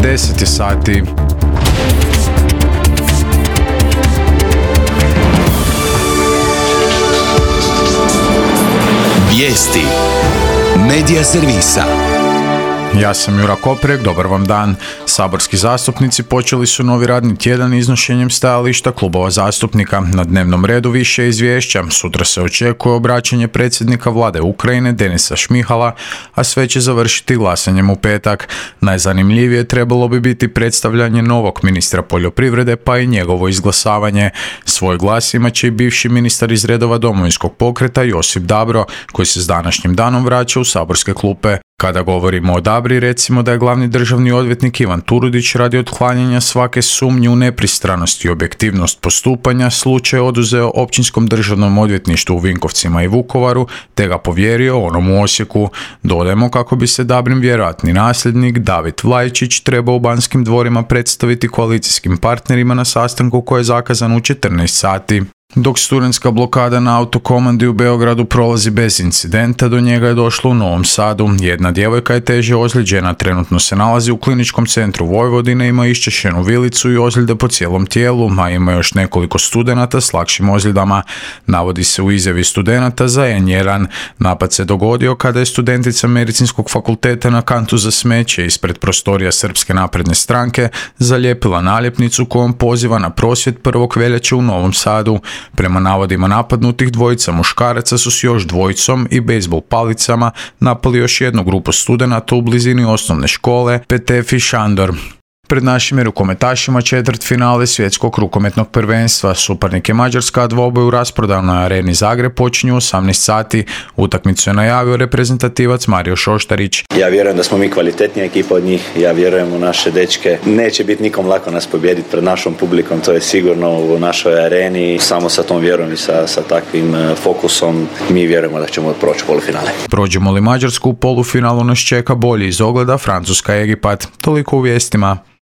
10 je sati. Vijesti Medija servisa. Ja sam Jura Koprek, dobar vam dan. Saborski zastupnici počeli su novi radni tjedan iznošenjem stajališta klubova zastupnika. Na dnevnom redu više izvješća. Sutra se očekuje obraćanje predsjednika vlade Ukrajine Denisa Šmihala, a sve će završiti glasanjem u petak. Najzanimljivije trebalo bi biti predstavljanje novog ministra poljoprivrede, pa i njegovo izglasavanje. Svoj glas imat će i bivši ministar iz redova Domovinskog pokreta Josip Dabro, koji se s današnjim danom vraća u saborske klupe. Kada govorimo o Dabri, recimo da je glavni državni odvjetnik Ivan Turudić radi otklanjanja svake sumnje u nepristranost i objektivnost postupanja slučaj oduzeo Općinskom državnom odvjetništvu u Vinkovcima i Vukovaru, te ga povjerio onom u Osijeku. Dodajmo kako bi se Dabrin vjerojatni nasljednik David Vlajičić trebao u Banskim dvorima predstaviti koalicijskim partnerima na sastanku koji je zakazan u 14 sati. Dok studentska blokada na autokomandi u Beogradu prolazi bez incidenta, do njega je došlo u Novom Sadu. Jedna djevojka je teže ozlijeđena, trenutno se nalazi u kliničkom centru Vojvodine, ima iščešenu vilicu i ozljede po cijelom tijelu, a ima još nekoliko studenata s lakšim ozljedama. Navodi se u izjavi studenata za N1. Napad se dogodio kada je studentica Medicinskog fakulteta na kantu za smeće ispred prostorija Srpske napredne stranke zalijepila naljepnicu kojom poziva na prosvjed 1. veljače u Novom Sadu. Prema navodima napadnutih, dvojica muškaraca su s još dvojicom i bejzbol palicama napali još jednu grupu studenata u blizini osnovne škole Petef i Šandor. Pred našim rukometašima četvrtfinale svjetskog rukometnog prvenstva. Suparnik je Mađarska, a dvoboj u rasprodajnoj areni Zagreb počinju u 18 sati. Utakmicu je najavio reprezentativac Mario Šoštarić. Ja vjerujem da smo mi kvalitetnija ekipa od njih, ja vjerujem u naše dečke. Neće biti nikom lako nas pobijediti pred našom publikom, to je sigurno u našoj areni. Samo sa tom vjerom i sa takvim fokusom mi vjerujemo da ćemo proći polufinale. Prođemo li Mađarsku, u polufinalu nas čeka bolji iz ogleda Francuska-Egipat. Toliko u vijestima.